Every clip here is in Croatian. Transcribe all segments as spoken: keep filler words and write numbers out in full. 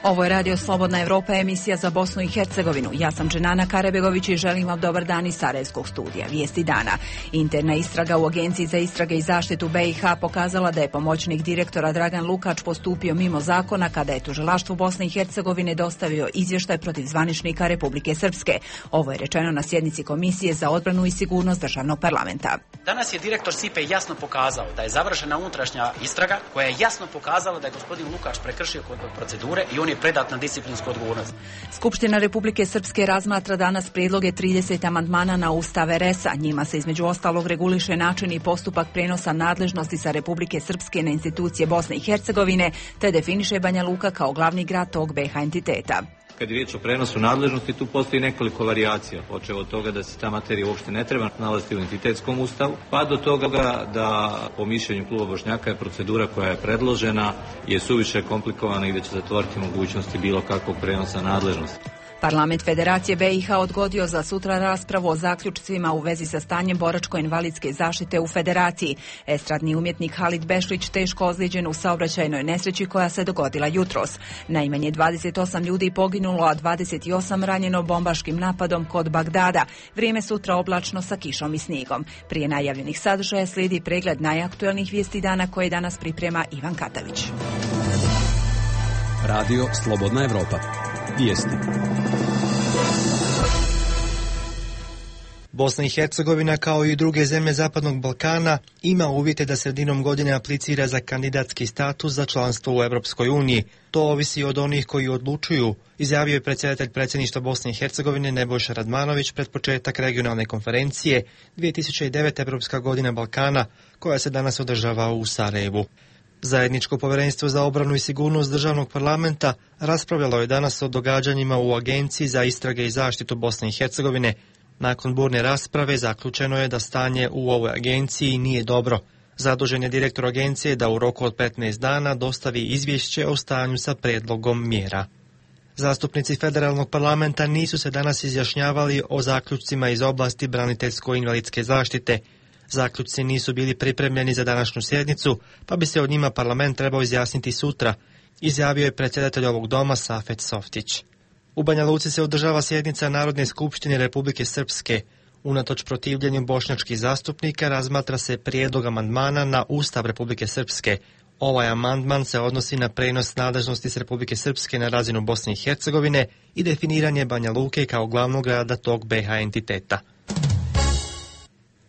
Ovo je Radio Slobodna Evropa, emisija za Bosnu i Hercegovinu. Ja sam Dženana Karebegović i želim vam dobar dan iz Sarajevskog studija. Vijesti dana. Interna istraga u Agenciji za istrage i zaštitu B i H pokazala da je pomoćnik direktora Dragan Lukač postupio mimo zakona kada je tužilaštvu Bosne i Hercegovine dostavio izvještaj protiv zvaničnika Republike Srpske. Ovo je rečeno na sjednici Komisije za odbranu i sigurnost državnog parlamenta. Danas je direktor S I P E jasno pokazao da je završena unutrašnja istraga koja je jasno pokazala da je gospodin Lukač prekršio procedure i on je predat na disciplinsku odgovornost. Skupština Republike Srpske razmatra danas prijedloge trideset amandmana na Ustav R S-a. Njima se između ostalog reguliše način i postupak prenosa nadležnosti sa Republike Srpske na institucije Bosne i Hercegovine, te definiše Banja Luka kao glavni grad tog B i H entiteta. Kad je riječ o prenosu nadležnosti, tu postoji nekoliko varijacija, počev od toga da se ta materija uopšte ne treba nalaziti u entitetskom ustavu, pa do toga da po mišljenju kluba Bošnjaka je procedura koja je predložena je suviše komplikovana i da će zatvoriti mogućnosti bilo kakvog prenosa nadležnosti. Parlament Federacije B i H odgodio za sutra raspravu o zaključcima u vezi sa stanjem boračko-invalidske zaštite u Federaciji. Estradni umjetnik Halid Bešlić teško ozlijeđen u saobraćajnoj nesreći koja se dogodila jutros. Najmanje dvadeset osam ljudi poginulo, a dvadeset osam ranjeno bombaškim napadom kod Bagdada. Vrijeme sutra oblačno sa kišom i snijegom. Prije najavljenih sadržaja slijedi pregled najaktuelnijih vijesti dana koje danas priprema Ivan Katavić. Radio Slobodna Evropa. Vijesti. Bosna i Hercegovina, kao i druge zemlje Zapadnog Balkana, ima uvjete da sredinom godine aplicira za kandidatski status za članstvo u Europskoj uniji. To ovisi od onih koji odlučuju, izjavio je predsjedatelj predsjedništva Bosne i Hercegovine Nebojša Radmanović pred početak regionalne konferencije dvije tisuće devet. Europska godina Balkana, koja se danas održava u Sarajevu. Zajedničko povjerenstvo za obranu i sigurnost državnog parlamenta raspravljalo je danas o događanjima u Agenciji za istrage i zaštitu Bosne i Hercegovine. Nakon burne rasprave zaključeno je da stanje u ovoj agenciji nije dobro. Zadužen je direktor agencije da u roku od petnaest dana dostavi izvješće o stanju sa prijedlogom mjera. Zastupnici federalnog parlamenta nisu se danas izjašnjavali o zaključcima iz oblasti braniteljsko-invalidske zaštite. Zaključci nisu bili pripremljeni za današnju sjednicu, pa bi se od njima parlament trebao izjasniti sutra, izjavio je predsjedatelj ovog doma Safet Softić. U Banja Luci se održava sjednica Narodne skupštine Republike Srpske. Unatoč protivljenju bošnjačkih zastupnika razmatra se prijedlog amandmana na Ustav Republike Srpske. Ovaj amandman se odnosi na prenos nadležnosti s Republike Srpske na razinu Bosne i Hercegovine i definiranje Banja Luke kao glavnog grada tog B i H entiteta.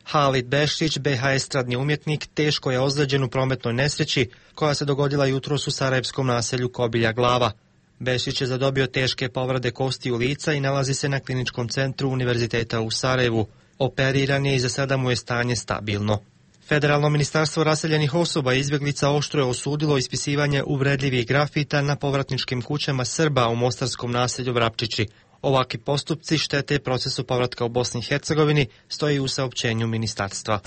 Halid Bešlić, B i H estradni umjetnik, teško je ozlijeđen u prometnoj nesreći koja se dogodila jutros u sarajevskom naselju Kobilja Glava. Bešlić je zadobio teške povrede kostiju lica i nalazi se na kliničkom centru Univerziteta u Sarajevu. Operiran je i za sada mu je stanje stabilno. Federalno ministarstvo raseljenih osoba i izbjeglica oštro je osudilo ispisivanje uvredljivih grafita na povratničkim kućama Srba u mostarskom naselju Vrapčići. Ovakvi postupci štete procesu povratka u Bosni i Hercegovini, stoji u saopćenju ministarstva.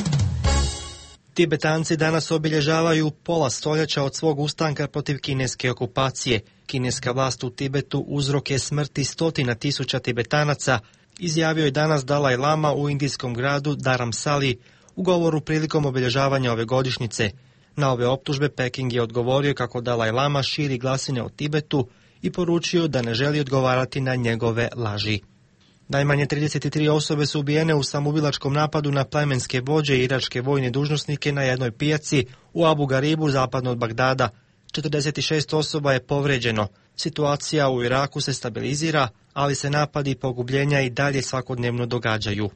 Tibetanci danas obilježavaju pola stoljeća od svog ustanka protiv kineske okupacije. Kineska vlast u Tibetu uzrok je smrti stotina tisuća Tibetanaca, izjavio je danas Dalaj Lama u indijskom gradu Dharamsali u govoru prilikom obilježavanja ove godišnjice. Na ove optužbe Peking je odgovorio kako Dalaj Lama širi glasine o Tibetu i poručio da ne želi odgovarati na njegove laži. Najmanje trideset tri osobe su ubijene u samoubilačkom napadu na plemenske vođe i iračke vojne dužnosnike na jednoj pijaci u Abu Garibu zapadno od Bagdada. četrdeset šest osoba je povređeno. Situacija u Iraku se stabilizira, ali se napadi i pogubljenja i dalje svakodnevno događaju.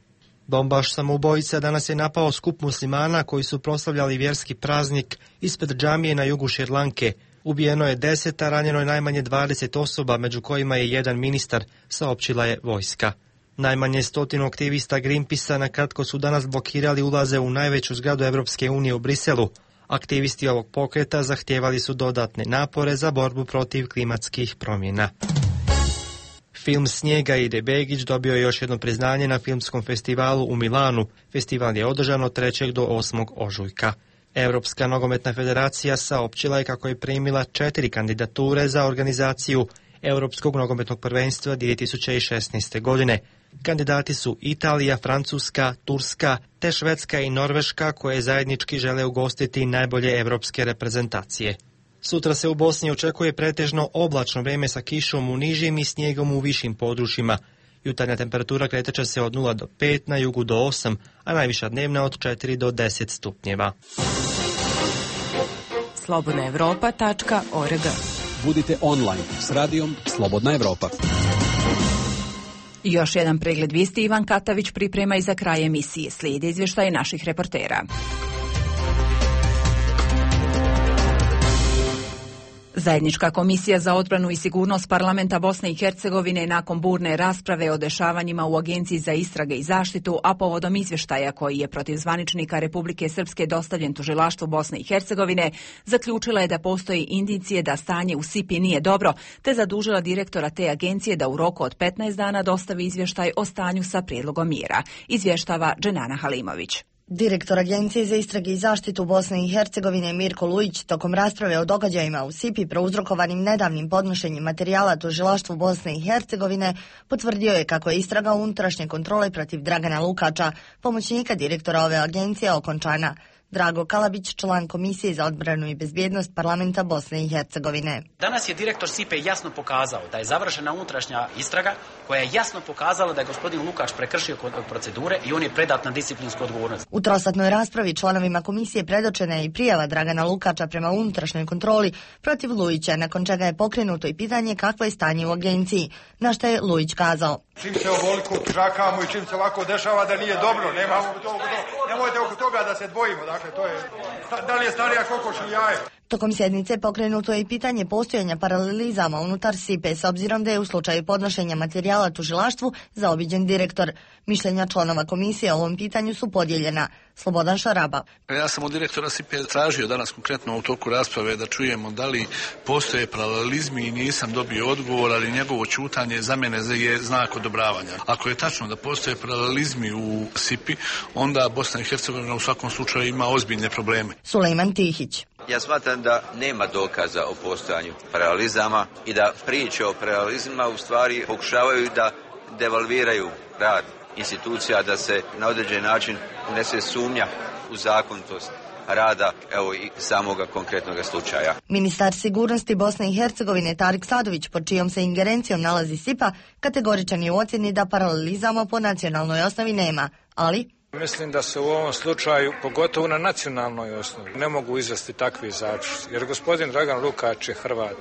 Bombaš samoubojica danas je napao skup muslimana koji su proslavljali vjerski praznik ispred džamije na jugu Šrilanke. Ubijeno je deset, a ranjeno je najmanje dvadeset osoba, među kojima je jedan ministar, saopćila je vojska. Najmanje stotinu aktivista Greenpeacea na kratko su danas blokirali ulaze u najveću zgradu Evropske unije u Briselu. Aktivisti ovog pokreta zahtijevali su dodatne napore za borbu protiv klimatskih promjena. Film Snijega ide Begić dobio je još jedno priznanje na filmskom festivalu u Milanu. Festival je održan od trećeg do osmog ožujka. Europska nogometna federacija saopćila je kako je primila četiri kandidature za organizaciju Europskog nogometnog prvenstva dvije tisuće šesnaeste. godine. Kandidati su Italija, Francuska, Turska, te Švedska i Norveška, koje zajednički žele ugostiti najbolje europske reprezentacije. Sutra se u Bosni očekuje pretežno oblačno vreme sa kišom u nižim i snijegom u višim područjima. Jutarnja temperatura kretat će se od nula do pet, na jugu do osam, a najviša dnevna od četiri do deset stupnjeva. slobodna evropa tačka org. Budite online s radijom Slobodna Evropa. Još jedan pregled vijesti Ivan Katavić priprema i za kraj emisije. Slijede izvještaje naših reportera. Zajednička komisija za odbranu i sigurnost parlamenta Bosne i Hercegovine nakon burne rasprave o dešavanjima u Agenciji za istrage i zaštitu, a povodom izvještaja koji je protiv zvaničnika Republike Srpske dostavljen tužilaštvu Bosne i Hercegovine, zaključila je da postoji indicije da stanje u S I P I nije dobro, te zadužila direktora te agencije da u roku od petnaest dana dostavi izvještaj o stanju sa prijedlogom mjera. Izvještava Dženana Halimović. Direktor Agencije za istrage i zaštitu Bosne i Hercegovine Mirko Lujić tokom rasprave o događajima u S I P I prouzrokovanim nedavnim podnošenjem materijala tužilaštvu Bosne i Hercegovine potvrdio je kako je istraga unutrašnje kontrole protiv Dragana Lukača, pomoćnika direktora ove agencije, okončana. Drago Kalabić, član Komisije za odbranu i bezbjednost parlamenta Bosne i Hercegovine. Danas je direktor S I P E jasno pokazao da je završena unutrašnja istraga koja je jasno pokazala da je gospodin Lukač prekršio procedure i on je predat na disciplinsku odgovornost. U trosatnoj raspravi članovima komisije predočena je i prijava Dragana Lukača prema unutrašnjoj kontroli protiv Lujića, nakon čega je pokrenuto i pitanje kakvo je stanje u agenciji, na što je Lujić kazao. Čim se ovoliko tužakamo i čim se ovako dešava da nije dobro, nemamo to, nemojte oko toga da se dvojimo, dakle to je, da li je starija kokoš ili jaje. Tokom sjednice pokrenuto je i pitanje postojanja paralelizama unutar S I P E s obzirom da je u slučaju podnošenja materijala tužilaštvu zaobiđen direktor. Mišljenja članova komisije o ovom pitanju su podijeljena. Slobodan Šaraba. Ja sam od direktora S I P E tražio danas konkretno u toku rasprave da čujemo da li postoje paralelizmi i nisam dobio odgovor, ali njegovo ćutanje za mene je znak odobravanja. Ako je tačno da postoje paralelizmi u S I P I, onda Bosna i Hercegovina u svakom slučaju ima ozbiljne probleme. Sulejman Tihić. Ja smatram da nema dokaza o postojanju paralelizama i da priče o paralelizmima u stvari pokušavaju da devalviraju rad institucija, da se na određen način unese sumnja u zakonitost rada, evo i samoga konkretnog slučaja. Ministar sigurnosti Bosne i Hercegovine Tarik Sadović, pod čijom se ingerencijom nalazi S I P A, kategoričan je u ocjeni da paralelizama po nacionalnoj osnovi nema, ali... Mislim da se u ovom slučaju, pogotovo na nacionalnoj osnovi, ne mogu izvesti takvi zaključci, jer gospodin Dragan Lukač je Hrvat.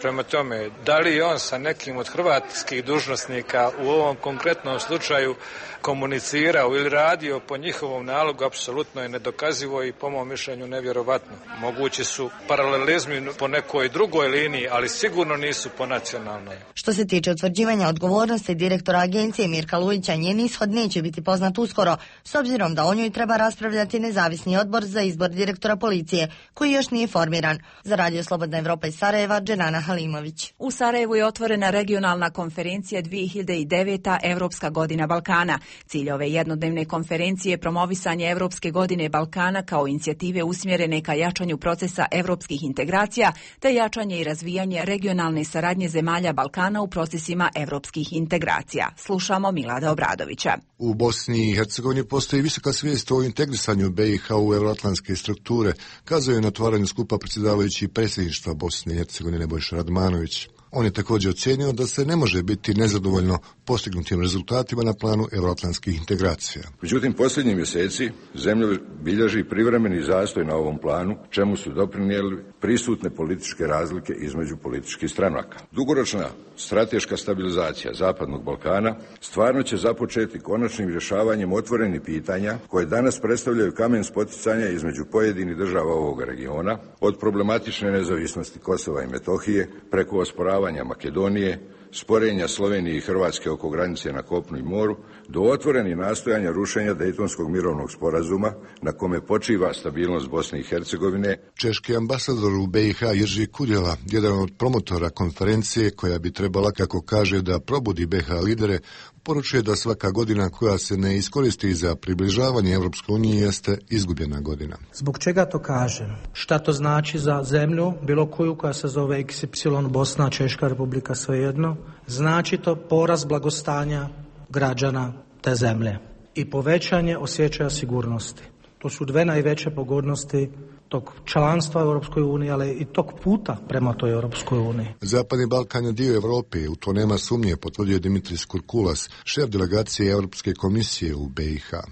Prema tome, da li je on sa nekim od hrvatskih dužnosnika u ovom konkretnom slučaju komunicirao ili radio po njihovom nalogu, apsolutno je nedokazivo i po mom mišljenju nevjerovatno. Mogući su paralelizmi po nekoj drugoj liniji, ali sigurno nisu po nacionalnoj. Što se tiče utvrđivanja odgovornosti direktora agencije Mirka Lujića, njen ishod neće biti poznat uskoro, s obzirom da o njoj treba raspravljati nezavisni odbor za izbor direktora policije, koji još nije formiran. Za Radio Slobodna Evropa iz Sarajeva, Dženana Halimović. U Sarajevu je otvorena regionalna konferencija dvije hiljade devete. Evropska godina Balkana. Cilj ove jednodnevne konferencije je promovisanje Evropske godine Balkana kao inicijative usmjerene ka jačanju procesa evropskih integracija, te jačanje i razvijanje regionalne saradnje zemalja Balkana u procesima evropskih integracija. Slušamo Milada Obradovića. U Bosni i Hercegovini postoji visoka svijest o integrisanju B i H u euroatlantske strukture, kazao je na otvaranju skupa predsjedavajući predsjedništva Bosne i Hercegovine Nebojša Radmanović. On je također ocijenio da se ne može biti nezadovoljno postignutim rezultatima na planu euroatlantskih integracija. Međutim, posljednjih mjeseci zemlja bilježi privremeni zastoj na ovom planu, čemu su doprinijeli prisutne političke razlike između političkih stranaka. Dugoročna strateška stabilizacija Zapadnog Balkana stvarno će započeti konačnim rješavanjem otvorenih pitanja koje danas predstavljaju kamen spoticanja između pojedinih država ovoga regiona, od problematične nezavisnosti Kosova i Metohije preko osporavanja Makedonije, sporenja Slovenije i Hrvatske oko granice na kopnu i moru, do otvorenih nastojanja rušenja Dejtonskog mirovnog sporazuma na kome počiva stabilnost Bosne i Hercegovine. Češki ambasador u B i H Jerži Kudjela, jedan od promotora konferencije koja bi trebala, kako kaže, da probudi B i H lidere, poručuje da svaka godina koja se ne iskoristi za približavanje Evropskoj uniji jeste izgubljena godina. Zbog čega to kažem? Šta to znači za zemlju, bilo koju koja se zove X Y, Bosna, Češka republika, svejedno? Znači to porast blagostanja građana te zemlje i povećanje osjećaja sigurnosti. To su dve najveće pogodnosti tog članstva u Europskoj uniji, ali i tog puta prema toj Europskoj uniji. Zapadni Balkan je dio Evrope, u to nema sumnje, potvrdio Dimitris Kurkulas, šef delegacije Europske komisije u B i H.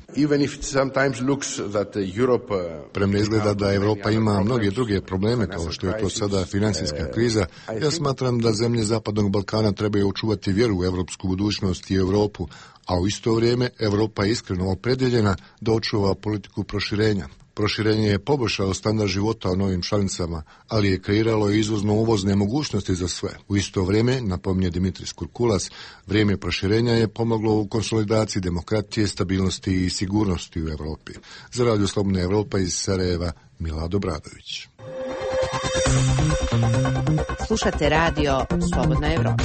Premda izgleda da Evropa ima mnoge druge probleme, kao što je to sada financijska kriza, ja smatram da zemlje Zapadnog Balkana trebaju očuvati vjeru u evropsku budućnost i Evropu, a u isto vrijeme Evropa je iskreno opredjeljena da očuva politiku proširenja. Proširenje je poboljšalo standard života u novim članicama, ali je kreiralo i izvozno-uvozne mogućnosti za sve. U isto vrijeme, napominje Dimitris Kurkulas, vrijeme proširenja je pomoglo u konsolidaciji demokratije, stabilnosti i sigurnosti u Evropi. Za Radio Slobodna Evropa iz Sarajeva, Milado Bradović. Slušate Radio Slobodna Evropa.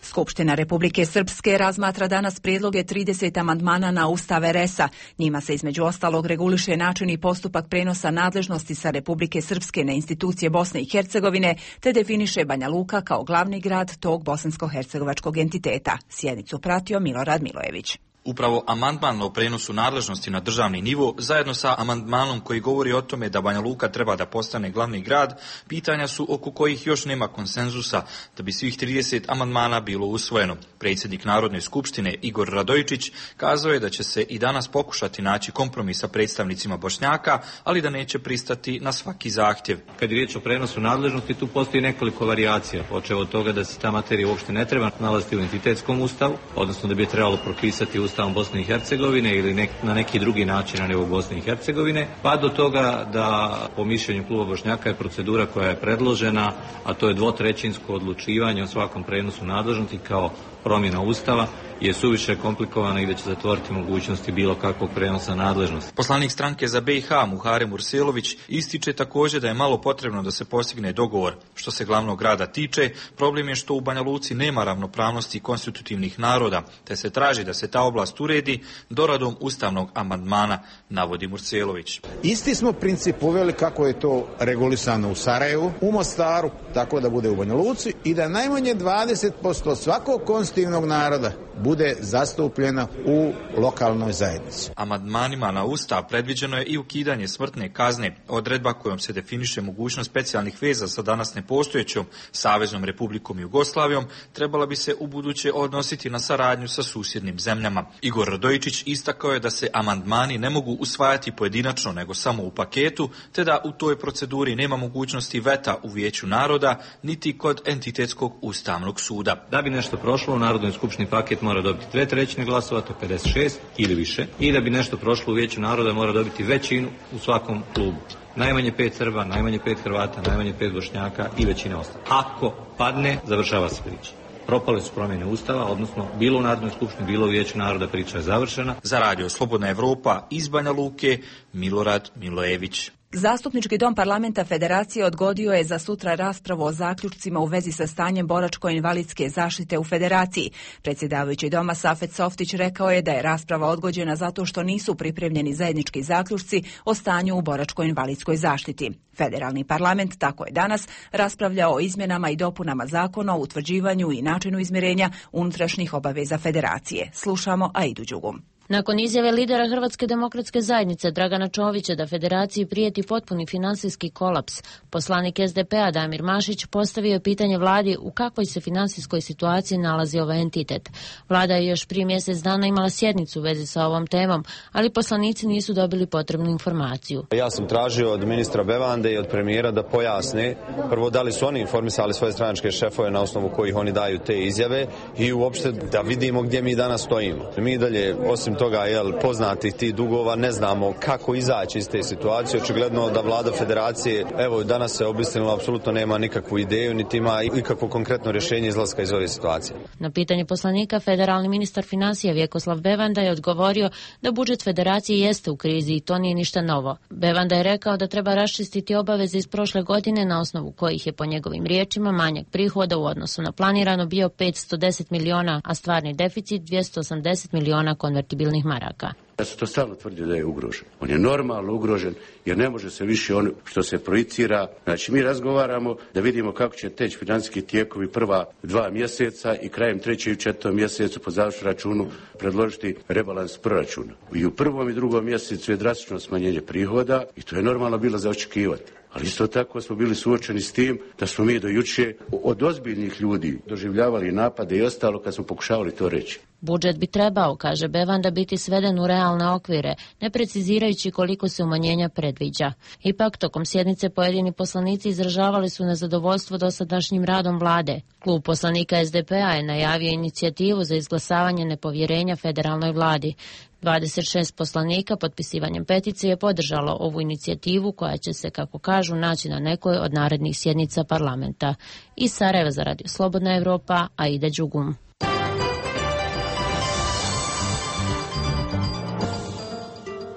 Skupština Republike Srpske razmatra danas prijedloge trideset amandmana na Ustav er es-a. Njima se između ostalog reguliše način i postupak prenosa nadležnosti sa Republike Srpske na institucije Bosne i Hercegovine, te definiše Banja Luka kao glavni grad tog bosansko-hercegovačkog entiteta. Sjednicu pratio Milorad Milojević. Upravo amandman o prenosu nadležnosti na državni nivo, zajedno sa amandmanom koji govori o tome da Banja Luka treba da postane glavni grad, pitanja su oko kojih još nema konsenzusa da bi svih trideset amandmana bilo usvojeno. Predsjednik Narodne skupštine Igor Radojičić kazao je da će se i danas pokušati naći kompromis sa predstavnicima Bošnjaka, ali da neće pristati na svaki zahtjev. Kad je riječ o prenosu nadležnosti, tu postoji nekoliko varijacija, počev od toga da se ta materija uopšte ne treba nalaziti u entitetskom ustavu, odnosno da bi je trebalo propisati ustav Bosne i Hercegovine ili nek, na neki drugi način na nivou Bosne i Hercegovine, pa do toga da po mišljenju kluba Bošnjaka je procedura koja je predložena, a to je dvotrećinsko odlučivanje o svakom prenosu nadležnosti kao promjena Ustava, je suviše komplikovana i da će zatvoriti mogućnosti bilo kakvog prenosa nadležnosti. Poslanik stranke za B i H Muharem Urselović ističe također da je malo potrebno da se postigne dogovor. Što se glavnog grada tiče, problem je što u Banja Luci nema ravnopravnosti konstitutivnih naroda, te se traži da se ta oblast uredi doradom ustavnog amandmana, navodi Urselović. Isti smo princip uveli kako je to regulisano u Sarajevu, u Mostaru, tako da bude u Banja Luci i da najmanje dvadeset posto svakog konstitutivnog naroda bude zastupljena u lokalnoj zajednici. Amandmanima na Ustav predviđeno je i ukidanje smrtne kazne, odredba kojom se definiše mogućnost specijalnih veza sa danas nepostojećom Saveznom Republikom Jugoslavijom, trebala bi se ubuduće odnositi na saradnju sa susjednim zemljama. Igor Radojičić istakao je da se amandmani ne mogu usvajati pojedinačno, nego samo u paketu, te da u toj proceduri nema mogućnosti veta u Vijeću naroda, niti kod entitetskog ustavnog suda. Da bi nešto prošlo u Narodnoj skupštini, paket mora dobiti dve trećine glasova, to pedeset šest ili više, i da bi nešto prošlo u Vijeću naroda mora dobiti većinu u svakom klubu. Najmanje pet Srba, najmanje pet Hrvata, najmanje pet Bošnjaka i većina ostala. Ako padne, završava se priča. Propale su promjene Ustava, odnosno bilo u Narodnoj skupštini, bilo u Vijeću naroda, priča je završena. Za Radio Slobodna Evropa iz Banja Luke, Milorad Milojević. Zastupnički dom parlamenta Federacije odgodio je za sutra raspravu o zaključcima u vezi sa stanjem boračko-invalidske zaštite u Federaciji. Predsjedavajući doma Safet Softić rekao je da je rasprava odgođena zato što nisu pripremljeni zajednički zaključci o stanju u boračko-invalidskoj zaštiti. Federalni parlament tako je danas raspravljao o izmjenama i dopunama zakona o utvrđivanju i načinu izmirenja unutrašnjih obaveza Federacije. Slušamo Aidu Đugum. Nakon izjave lidera Hrvatske demokratske zajednice Dragana Čovića da Federaciji prijeti potpuni finansijski kolaps, poslanik es de pe-a Damir Mašić postavio je pitanje vladi u kakvoj se finansijskoj situaciji nalazi ovaj entitet. Vlada je još prije mjesec dana imala sjednicu u vezi sa ovom temom, ali poslanici nisu dobili potrebnu informaciju. Ja sam tražio od ministra Bevande i od premijera da pojasne prvo da li su oni informisali svoje stranačke šefove na osnovu kojih oni daju te izjave i uopšte da vidimo gdje mi danas stojimo. Mi dalje, osim toga, jel, poznatih tih dugova, ne znamo kako izaći iz te situacije. Očigledno da vlada Federacije, evo, danas se obistinila, apsolutno nema nikakvu ideju, niti ima ikakvo konkretno rješenje izlaska iz ove situacije. Na pitanje poslanika, federalni ministar financija Vjekoslav Bevanda je odgovorio da budžet Federacije jeste u krizi i to nije ništa novo. Bevanda je rekao da treba raščistiti obaveze iz prošle godine na osnovu kojih je po njegovim riječima manjak prihoda u odnosu na planirano bio petsto deset miliona, a stvarni deficit dvjesto osamdeset miliona konvertibilnih silnih maraka. Ja sam to stalno tvrdio da je ugrožen. On je normalno ugrožen jer ne može se više ono što se projicira. Znači mi razgovaramo da vidimo kako će teći financijski tijekovi prva dva mjeseca i krajem trećeg i četvrtog mjesecu po završnom računu predložiti rebalans proračuna. I u prvom i drugom mjesecu je drastično smanjenje prihoda i to je normalno bilo za očekivati. Ali isto tako smo bili suočeni s tim da smo mi do juče od ozbiljnih ljudi doživljavali napade i ostalo kad smo pokušavali to reći. Budžet bi trebao, kaže Bevanda, biti sveden u realne okvire, ne precizirajući koliko se umanjenja predviđa. Ipak, tokom sjednice pojedini poslanici izražavali su nezadovoljstvo dosadašnjim radom vlade. Klub poslanika es de pe a je najavio inicijativu za izglasavanje nepovjerenja federalnoj vladi. dvadeset šest poslanika potpisivanjem peticije je podržalo ovu inicijativu koja će se, kako kažu, naći na nekoj od narednih sjednica parlamenta. Iz Sarajeva za Radio Slobodna Evropa, Aida Đugum.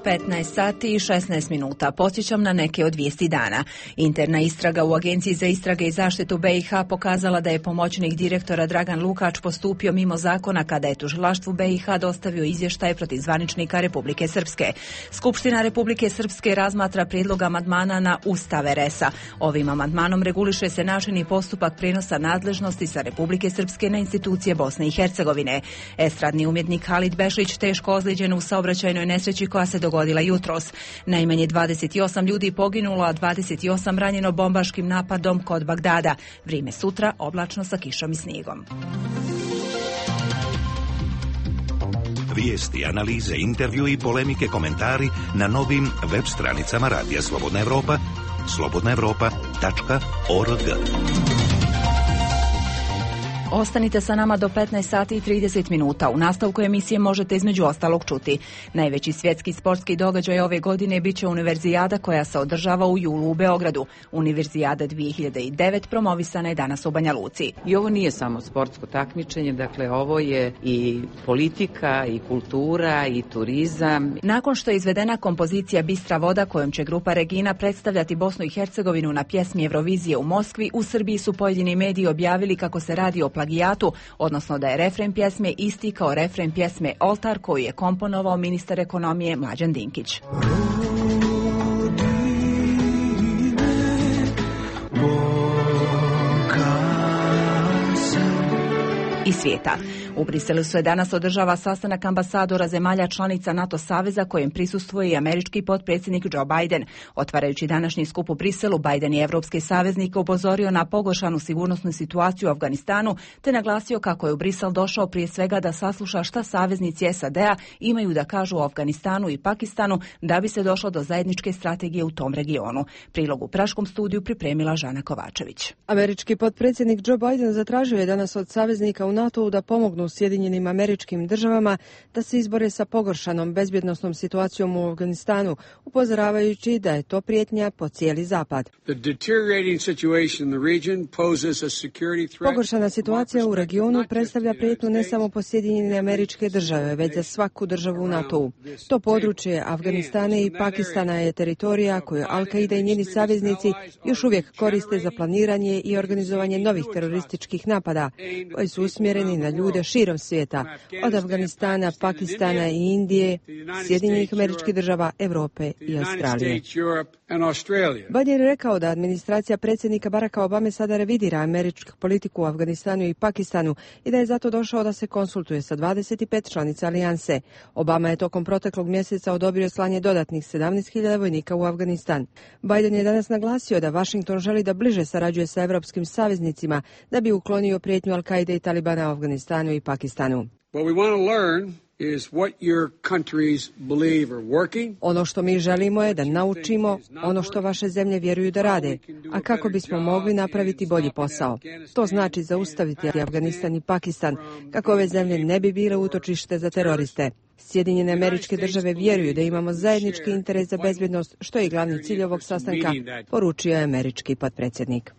petnaest sati i šesnaest minuta. Podsjećam na neke od vijesti dana. Interna istraga u Agenciji za istrage i zaštitu be i ha pokazala da je pomoćnik direktora Dragan Lukač postupio mimo zakona kada je tužilaštvu be i ha dostavio izvještaj protiv zvaničnika Republike Srpske. Skupština Republike Srpske razmatra prijedlog amandmana na Ustav er es a. Ovim amandmanom reguliše se način i postupak prijenosa nadležnosti sa Republike Srpske na institucije Bosne i Hercegovine. Estradni umjetnik Halid Bešlić teško ozlijeđen u saobraćajnoj nesreći koja se dogodila jutros. Najmanje dvadeset osam ljudi poginulo, a dvadeset osam ranjeno bombaškim napadom kod Bagdada. Vrijeme sutra oblačno sa kišom i snijegom. Vijesti, analize, intervju i polemike, komentari na novim web stranicama Radija Slobodna Evropa, slobodna evropa tačka org. Ostanite sa nama do petnaest sati i trideset minuta. U nastavku emisije možete između ostalog čuti. Najveći svjetski sportski događaj ove godine biće Univerzijada koja se održava u julu u Beogradu. Univerzijada dvije hiljade devet promovisana je danas u Banja Luci. I ovo nije samo sportsko takmičenje, dakle ovo je i politika, i kultura, i turizam. Nakon što je izvedena kompozicija Bistra voda kojom će grupa Regina predstavljati Bosnu i Hercegovinu na pjesmi Eurovizije u Moskvi, u Srbiji su pojedini mediji objavili kako se radi o plagijatu, odnosno da je refren pjesme isti kao refren pjesme Oltar koju je komponovao ministar ekonomije Mlađan Dinkić. I svijeta. U Briselu se danas održava sastanak ambasadora zemalja članica NATO saveza kojem prisustvuje i američki potpredsjednik Joe Biden. Otvarajući današnji skup u Briselu, Biden je evropske saveznike upozorio na pogoršanu sigurnosnu situaciju u Afganistanu, te naglasio kako je u Brisel došao prije svega da sasluša šta saveznici es a de a imaju da kažu o Afganistanu i Pakistanu da bi se došlo do zajedničke strategije u tom regionu. Prilog u Praškom studiju pripremila Žana Kovačević. Američki potpredsjednik Joe Biden zatražio je danas od saveznika u NATO-u da pomognu Sjedinjenim Američkim Državama da se izbore sa pogoršanom bezbjednosnom situacijom u Afganistanu, upozoravajući da je to prijetnja po cijeli zapad. Pogoršana situacija u regionu predstavlja prijetnju ne samo po Sjedinjene Američke Države, već za svaku državu u NATO-u. To područje Afganistana i Pakistana je teritorija koju Al-Qaida i njeni saveznici još uvijek koriste za planiranje i organizovanje novih terorističkih napada, koji su usmjereni na ljude širom svijeta, od Afganistana, Pakistana i Indije, Sjedinjenih Američkih Država, Europe i Australije. Biden je rekao da administracija predsjednika Baracka Obame sada revidira američku politiku u Afganistanu i Pakistanu i da je zato došao da se konsultuje sa dvadeset pet članica alijanse. Obama je tokom proteklog mjeseca odobrio slanje dodatnih sedamnaest hiljada vojnika u Afganistan. Biden je danas naglasio da Washington želi da bliže sarađuje sa evropskim saveznicima da bi uklonio prijetnju Al-Qaide i Talibana u Afganistanu i Pakistanu. Ono što mi želimo je da naučimo ono što vaše zemlje vjeruju da rade, a kako bismo mogli napraviti bolji posao. To znači zaustaviti Afganistan i Pakistan, kako ove zemlje ne bi bile utočište za teroriste. Sjedinjene Američke Države vjeruju da imamo zajednički interes za bezbjednost, što je i glavni cilj ovog sastanka, poručio je američki potpredsjednik.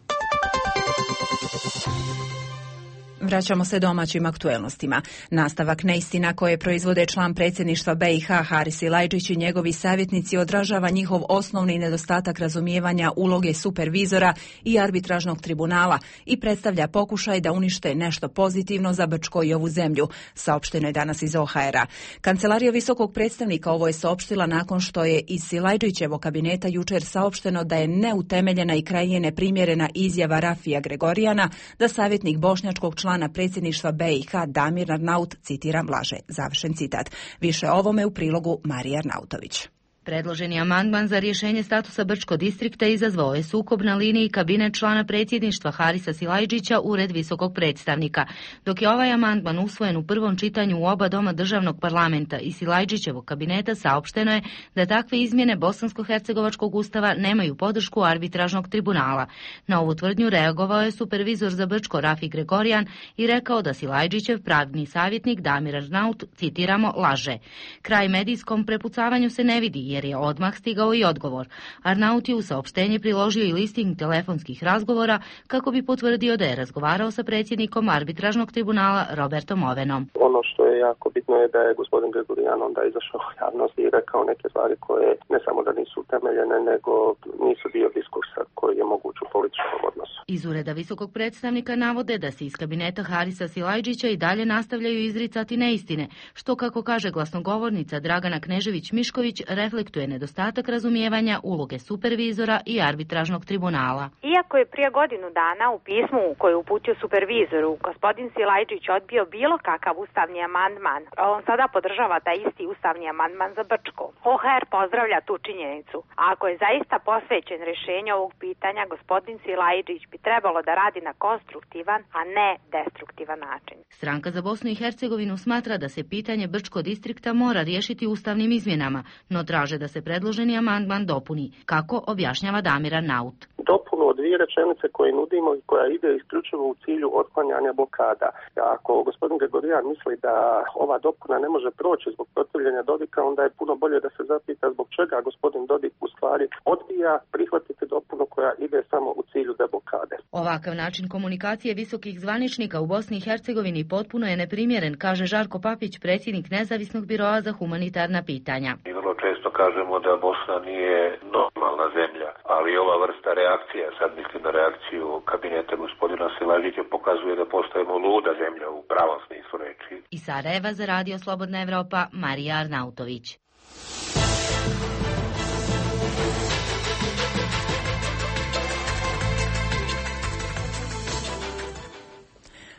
Vraćamo se domaćim aktuelnostima. Nastavak neistina koje proizvode član predsjedništva B i H Haris Silajdžić i njegovi savjetnici odražava njihov osnovni nedostatak razumijevanja uloge supervizora i arbitražnog tribunala i predstavlja pokušaj da unište nešto pozitivno za Brčko i ovu zemlju, saopšteno je danas iz O H R-a. Kancelarija visokog predstavnika ovo je saopštila nakon što je iz Silajdžićevog kabineta jučer saopšteno da je neutemeljena i krajnje neprimjerena izjava Rafija Gregorijana da savjetnik bošnjačkog člana predsjedništva B i H Damir Arnaut, citiram, laže. Završen citat. Više o ovome u prilogu Marija Arnautović. Predloženi amandman za rješenje statusa Brčko distrikta izazvao je sukob na liniji kabinet člana predsjedništva Harisa Silajdžića u Ured visokog predstavnika. Dok je ovaj amandman usvojen u prvom čitanju u oba doma državnog parlamenta i Silajdžićevog kabineta, saopšteno je da takve izmjene bosansko-hercegovačkog ustava nemaju podršku arbitražnog tribunala. Na ovu tvrdnju reagovao je supervizor za Brčko Rafi Gregorijan i rekao da Silajdžićev pravni savjetnik Damir Arnaut, citiramo, laže. Kraj medijskom prepucavanju se ne vidi, jer je odmah stigao i odgovor. Arnaut je u saopštenje priložio i listing telefonskih razgovora kako bi potvrdio da je razgovarao sa predsjednikom arbitražnog tribunala Robertom Ovenom. Ono što je jako bitno je da je gospodin Gregorijan onda izašao u javnost i rekao neke stvari koje ne samo da nisu utemeljene, nego nisu dio diskursa koji je moguć u političkom odnosu. Iz Ureda visokog predstavnika navode da se iz kabineta Harisa Silajdžića i dalje nastavljaju izricati neistine, što, kako kaže glasnogovornica Dragana Knežević-Mišković, reflektuje nedostatak razumijevanja uloge supervizora i arbitražnog tribunala. Iako je prije godinu dana u pismu koje je uputio supervizoru gospodin Silajdžić odbio bilo kakav ustavni amandman, on sada podržava taj isti ustavni amandman za Brčko. O H R pozdravlja tu činjenicu. A ako je zaista posvećen rješenju ovog pitanja, gospodin Silajdžić bi trebalo da radi na konstruktivan, a ne destruktivan način. Stranka za Bosnu i Hercegovinu smatra da se pitanje Brčko distrikta mora riješiti ustavnim izmjenama, no traže da se predloženi amandman dopuni, kako objašnjava Damir Arnaut. Dopunu od dvije rečenice koje nudimo i koja ide isključivo u cilju otklanjanja blokada. Ako gospodin Gregorijan misli da ova dopuna ne može proći zbog protivljenja Dodika, onda je puno bolje da se zapita zbog čega gospodin Dodik u stvari odbija prihvatiti dopunu koja ide samo u cilju deblokade. Ovakav način komunikacije visokih zvaničnika u Bosni i Hercegovini potpuno je neprimjeren, kaže Žarko Papić, predsjednik Nezavisnog biroa za humanitarna pitanja. Mi vrlo često kažemo da Bosna nije normalna zemlja, ali ova vrsta reakcija, sad mislim na reakciju kabineta gospodina Silajdžića, pokazuje da postajemo luda zemlja u pravom smislu reči. Iz Sarajeva za Radio Slobodna Evropa, Marija Arnautović.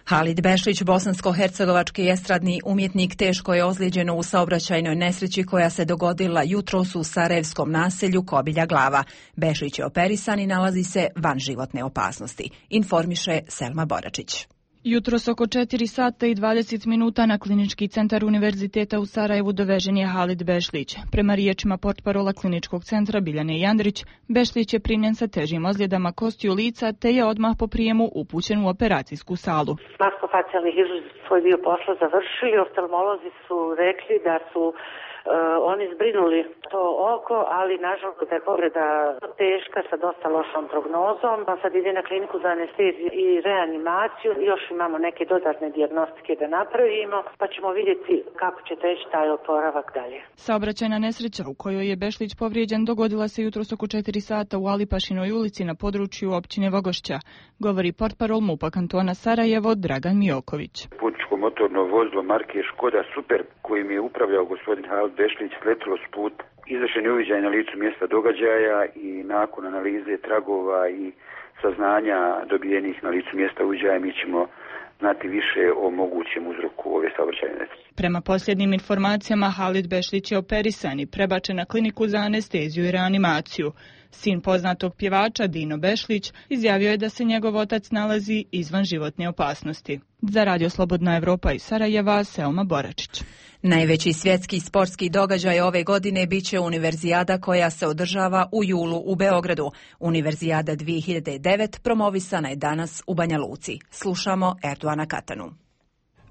Halid Bešlić, bosansko-hercegovački estradni umjetnik, teško je ozlijeđen u saobraćajnoj nesreći koja se dogodila jutros u sarajevskom naselju Kobilja Glava. Bešlić je operisan i nalazi se van životne opasnosti, informiše Selma Boračić. Jutros oko četiri sata i dvadeset minuta na Klinički centar Univerziteta u Sarajevu dovežen je Halid Bešlić. Prema riječima portparola Kliničkog centra Biljane Jandrić, Bešlić je primljen sa težim ozljedama kostiju lica te je odmah po prijemu upućen u operacijsku salu. Maskofacijalni hirurzi svoj dio posla završili, oftalmolozi su rekli da su Uh, oni zbrinuli to oko, ali nažalost da je povreda teška sa dosta lošom prognozom. Pa sad ide na kliniku za anesteziju i reanimaciju. Još imamo neke dodatne dijagnostike da napravimo, pa ćemo vidjeti kako će teći taj oporavak dalje. Saobraćajna nesreća u kojoj je Bešlić povrijeđen dogodila se jutros oko četiri sata u Alipašinoj ulici na području općine Vogošća, govori portparol MUP-a kantona Sarajevo Dragan Mijoković. Putničko motorno vozilo marke Škoda Super kojim je upravljao gospodin Halid Bešlić sletilo s puta. Izvršen je uviđaj na licu mjesta događaja i nakon analize tragova i saznanja dobijenih na licu mjesta uviđaja mi ćemo znati više o mogućem uzroku ove saobraćajne nesreće. Prema posljednjim informacijama Halid Bešlić je operisan i prebačen na kliniku za anesteziju i reanimaciju. Sin poznatog pjevača Dino Bešlić izjavio je da se njegov otac nalazi izvan životne opasnosti. Za Radio Slobodna Evropa iz Sarajeva, Selma Boračić. Najveći svjetski sportski događaj ove godine biće Univerzijada koja se održava u julu u Beogradu. Univerzijada dvije hiljade devet promovisana je danas u Banja Luci. Slušamo Erdoana Katanu.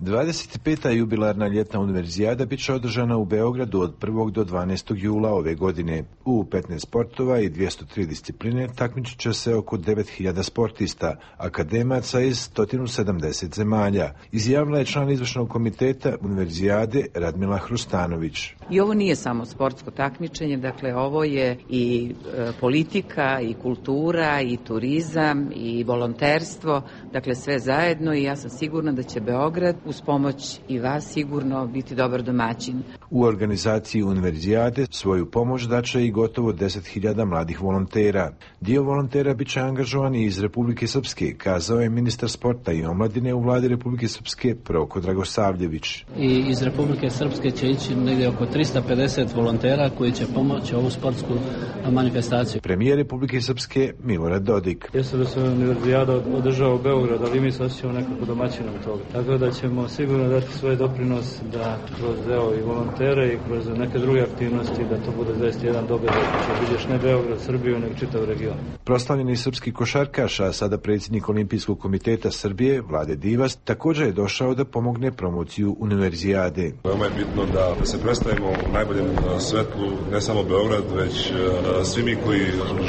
dvadeset peta jubilarna ljetna univerzijada bit će održana u Beogradu od prvog do dvanaestog jula ove godine. U petnaest sportova i dvjesto tri discipline takmičit će se oko devet hiljada sportista, akademaca iz sto sedamdeset zemalja, izjavila je član izvršnog komiteta univerzijade Radmila Hrustanović. I ovo nije samo sportsko takmičenje, dakle ovo je i e, politika, i kultura, i turizam, i volonterstvo, dakle sve zajedno i ja sam sigurna da će Beograd uz pomoć i vas sigurno biti dobar domaćin. U organizaciji univerzijade svoju pomoć daće i gotovo deset hiljada mladih volontera. Dio volontera bit će angažovan i iz Republike Srpske, kazao je ministar sporta i omladine u vladi Republike Srpske Proko Dragosavljević. I iz Republike Srpske će ići negdje oko tristo pedeset volontera koji će pomoći ovu sportsku manifestaciju. Premijer Republike Srpske Milorad Dodik. Jeste da se univerzijada održava u Beogradu, ali mi se osjećamo nekako domaćinom toga. Tako da ćemo sigurno dati svoj doprinos da kroz evo, i volontere i kroz neke druge aktivnosti da to bude zaista jedan događaj koji će vidiš ne Beograd, Srbiju, nego čitav region. Proslavljeni srpski košarkaš, a sada predsjednik Olimpijskog komiteta Srbije, Vlade Divas, također je došao da pomogne promociju univerzijade. Veoma je bitno da se predstavimo u najboljem svetlu, ne samo Beograd, već svi mi koji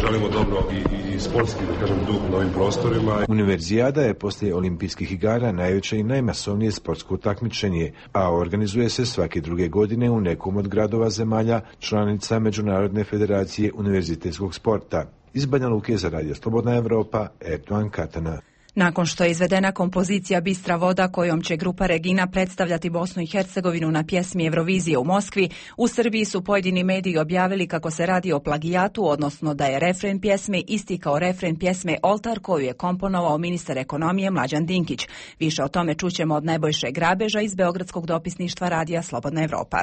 želimo dobro i, i sportski, da kažem, duh na ovim prostorima. Univerzijada je poslije olimpijskih igara najveće i najmasovnije sportsko takmičenje, a organizuje se svake druge godine u nekom od gradova zemalja članica Međunarodne federacije univerzitetskog sporta. Iz Banja Luke za Radio Slobodna Evropa, Erdogan Katana. Nakon što je izvedena kompozicija Bistra voda kojom će grupa Regina predstavljati Bosnu i Hercegovinu na pjesmi Eurovizije u Moskvi, u Srbiji su pojedini mediji objavili kako se radi o plagijatu, odnosno da je refren pjesme isti kao refren pjesme Oltar koju je komponovao ministar ekonomije Mlađan Dinkić. Više o tome čućemo od Nebojše Grabeža iz Beogradskog dopisništva Radija Slobodna Evropa.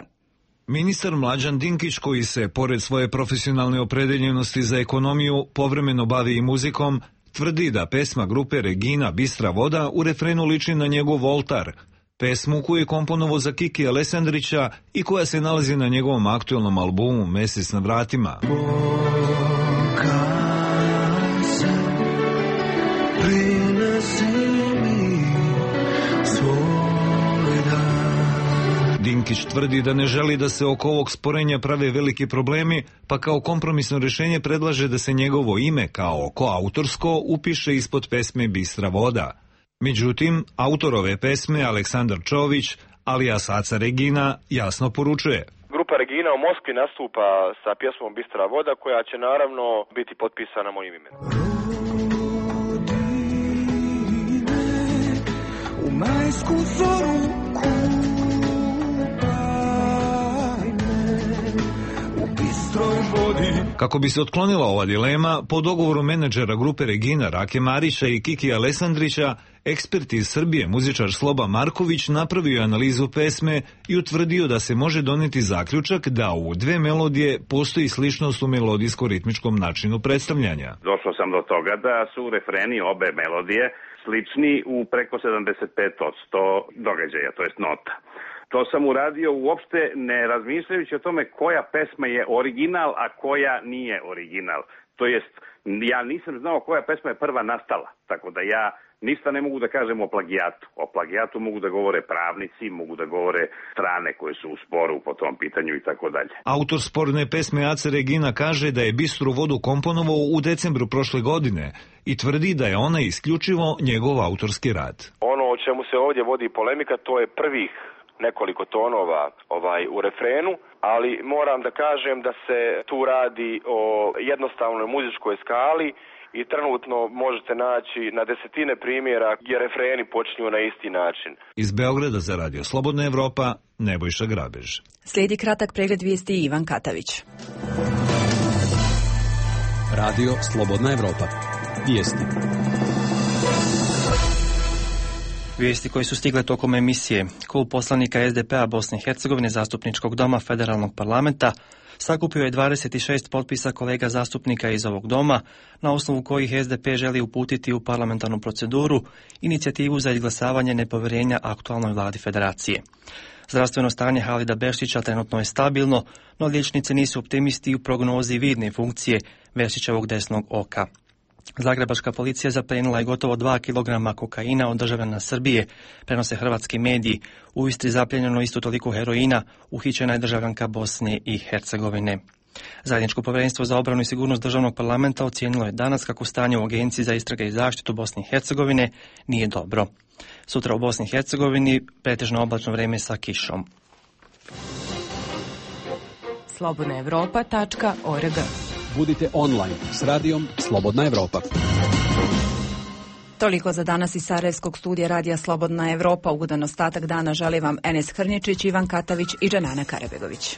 Ministar Mlađan Dinkić, koji se, pored svoje profesionalne opredeljenosti za ekonomiju, povremeno bavi i muzikom, tvrdi da pesma grupe Regina Bistra voda u refrenu liči na njegov Oltar, pesmu koju je komponovao za Kiki Alessandrića i koja se nalazi na njegovom aktualnom albumu Mesec na vratima. Dinkić tvrdi da ne želi da se oko ovog sporenja prave veliki problemi, pa kao kompromisno rješenje predlaže da se njegovo ime kao koautorsko upiše ispod pesme Bistra voda. Međutim, autor ove pesme, Aleksandar Čović, alias Aca Regina, jasno poručuje. Grupa Regina u Moskvi nastupa sa pjesmom Bistra voda, koja će naravno biti potpisana mojim imenom. U majsku zoru Kako bi se otklonila ova dilema, po dogovoru menadžera grupe Regina Rake Marića i Kiki Alessandrića, ekspert iz Srbije, muzičar Sloba Marković, napravio je analizu pesme i utvrdio da se može donijeti zaključak da u dve melodije postoji sličnost u melodijsko-ritmičkom načinu predstavljanja. Došao sam do toga da su refreni obe melodije slični u preko sedamdeset pet posto događaja, to jest nota. To sam uradio uopšte ne razmišljajući o tome koja pesma je original, a koja nije original. To jest, ja nisam znao koja pesma je prva nastala, tako da ja ništa ne mogu da kažem o plagijatu. O plagijatu mogu da govore pravnici, mogu da govore strane koje su u sporu po tom pitanju i tako dalje. Autor sporne pesme Aca Regina kaže da je Bistru vodu komponovao u decembru prošle godine i tvrdi da je ona isključivo njegov autorski rad. Ono o čemu se ovdje vodi polemika, to je prvih nekoliko tonova ovaj u refrenu, ali moram da kažem da se tu radi o jednostavnoj muzičkoj skali i trenutno možete naći na desetine primjera gdje refreni počinju na isti način. Iz Beograda za Radio Slobodna Evropa, Nebojša Grabež. Slijedi kratak pregled vijesti Ivan Katavić. Radio Slobodna Evropa. Vijesti. Vijesti koje su stigle tokom emisije. Klub poslanika es de pe a Bosne i Hercegovine Zastupničkog doma Federalnog parlamenta sakupio je dvadeset šest potpisa kolega zastupnika iz ovog doma, na osnovu kojih es de pe želi uputiti u parlamentarnu proceduru inicijativu za izglasavanje nepovjerenja aktualnoj vladi federacije. Zdravstveno stanje Halida Bešlića trenutno je stabilno, no liječnici nisu optimisti u prognozi vidne funkcije Bešlićevog desnog oka. Zagrebačka policija zaplijenila je gotovo dva kilograma kokaina od državljana Srbije, prenose hrvatski mediji. U Istri zapljenjeno isto toliko heroina, uhićena je državljanka Bosne i Hercegovine. Zajedničko povjerenstvo za obranu i sigurnost državnog parlamenta ocijenilo je danas kako stanje u Agenciji za istrage i zaštitu Bosne i Hercegovine nije dobro. Sutra u Bosni i Hercegovini pretežno oblačno vrijeme sa kišom. slobodna evropa tačka org. Budite online s radijom Slobodna Evropa. Toliko za danas iz Sarajevskog studija radija Slobodna Evropa. Ugodan ostatak dana želi vam Enes Hrnječić, Ivan Katavić i Džanana Karabegović.